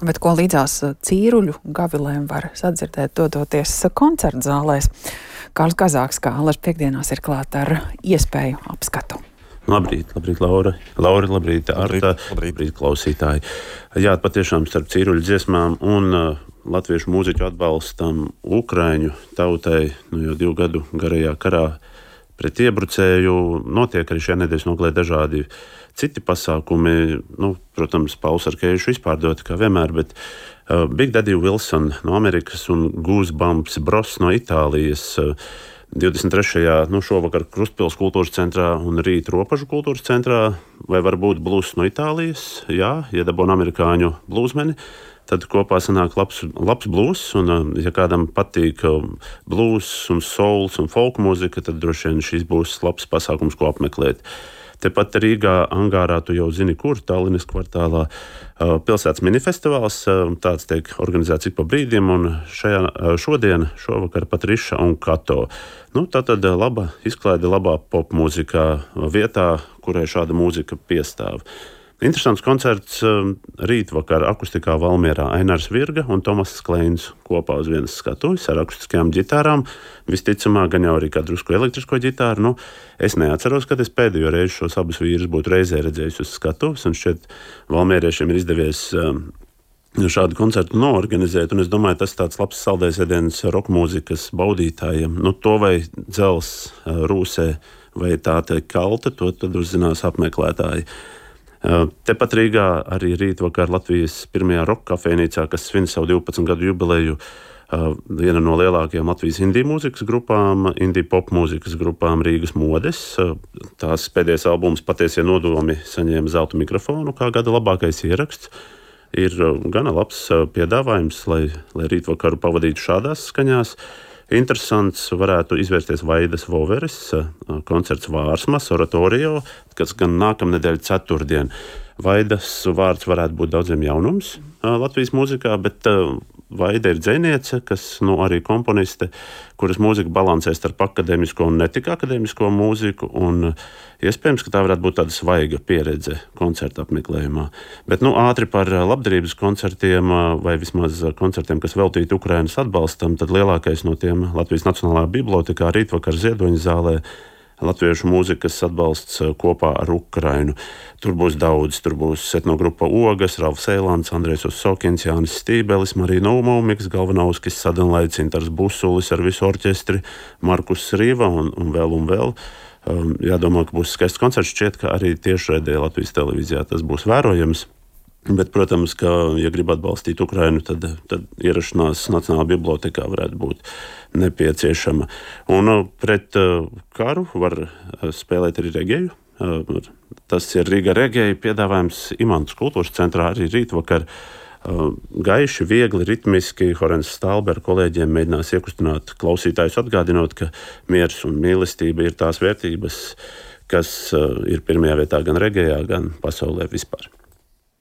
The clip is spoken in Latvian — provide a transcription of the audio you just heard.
Bet ko līdzās cīruļu gavilēm var sadzirdēt, dodoties koncertu zālēs. Kārlis Kazāks, kā Allaž piekdienās, ir klāt ar iespēju apskatu. Labrīt, Laura. Labrīt, Arta. Labrīt, klausītāji. Jā, patiešām starp cīruļu dziesmām un latviešu mūziķu atbalstam Ukraiņu tautai jau 2 gadu garajā karā pret iebrucēju notiek arī šajā nedēļas nogalē dažādi citi pasākumi. Protams, Pauls ar Keišu izpārdoti kā vienmēr, bet Big Daddy Wilson no Amerikas un Goosebumps Bros no Itālijas 23. Šovakar Krustpils kultūras centrā un rīt Ropažu kultūras centrā, vai varbūt blūzs no Itālijas, jā, iedabona amerikāņu blūzmeni, tad kopā sanāk labs blūzs, un ja kādam patīk blūzs un souls un folk mūzika, tad droši vien šis būs labs pasākums, ko apmeklēt. Tepat Rīgā, Angārā, tu jau zini, kur Tallinas kvartālā pilsētas minifestivāls, tāds tiek organizēts ik pa brīdim, un šovakar pat Riša un Kato. Tātad laba izklaide labā popmūzikā vietā, kurai šāda mūzika piestāv. Interesants koncerts rītvakar akustikā Valmierā. Ainārs Virga un Tomass Kleins kopā uz vienas skatuves ar akustiskajām ģitārām. Visticamāk, gan jau arī kā drusku elektrisko ģitāru. Es neatceros, kad es pēdējo reizi šos abus vīrus būtu reizē redzējis uz skatuves, un šķiet valmieriešiem ir izdevies šādu koncertu noorganizēt, un es domāju, tas tāds labs saldējs ēdiens roka mūzikas baudītājiem. To vai dzels rūsē, vai tā te kalta, to tad uzzinās apmeklētāji. Tepat Rīgā arī rītvakar Latvijas pirmajā roka kafejnīcā, kas svin savu 12 gadu jubileju, viena no lielākajām Latvijas indiju mūzikas grupām, indiju pop mūzikas grupām Rīgas modes. Tās pēdējais albums Patiesie nodomi saņēma zelta mikrofonu kā gada labākais ieraksts. Ir gana labs piedāvājums, lai rītvakaru pavadītu šādās skaņās. Interesants varētu izvērsties Vaidas Voveres koncerts Vārsmas oratorio, kas gan nākamnedēļ ceturtdien. Vaidas vārds varētu būt daudziem jaunums Latvijas mūzikā, bet Vaida ir dzejniece, kas arī komponiste, kuras mūzika balansē starp akadēmisko un netik akadēmisko mūziku, un iespējams, ka tā varētu būt tāda svaiga pieredze koncerta apmeklējumā. Bet ātri par labdarības koncertiem, vai vismaz koncertiem, kas veltīti Ukrainas atbalstam, tad lielākais no tiem Latvijas Nacionālajā bibliotēkā rītvakar Ziedoņa zālē latviešu mūzikas atbalsts kopā ar Ukrainu. Tur būs daudz, tur būs etnogrupa Ogas, Ralfs Eilants, Andrejs Osokins, Jānis Stībelis, Marija Naumovmiks, Galvanauskis, Sadenlaids, Intars Busulis ar visu orķestri, Markus Rīva un vēl. Jādomā, ka būs skaists koncerts, šķiet, ka arī tiešraidē Latvijas televīzijā tas būs vērojams. Bet, protams, ka, ja grib atbalstīt Ukrainu, tad ierašanās Nacionālajā bibliotēkā varētu būt nepieciešama. Un pret karu var spēlēt arī regēju. Tas ir Rīga regēja piedāvājums Imantas kultūras centrā arī rītvakar. Gaiši, viegli, ritmiski Horens Stalber kolēģiem mēģinās iekustināt klausītājus, atgādinot, ka miers un mīlestība ir tās vērtības, kas ir pirmajā vietā gan regējā, gan pasaulē vispār.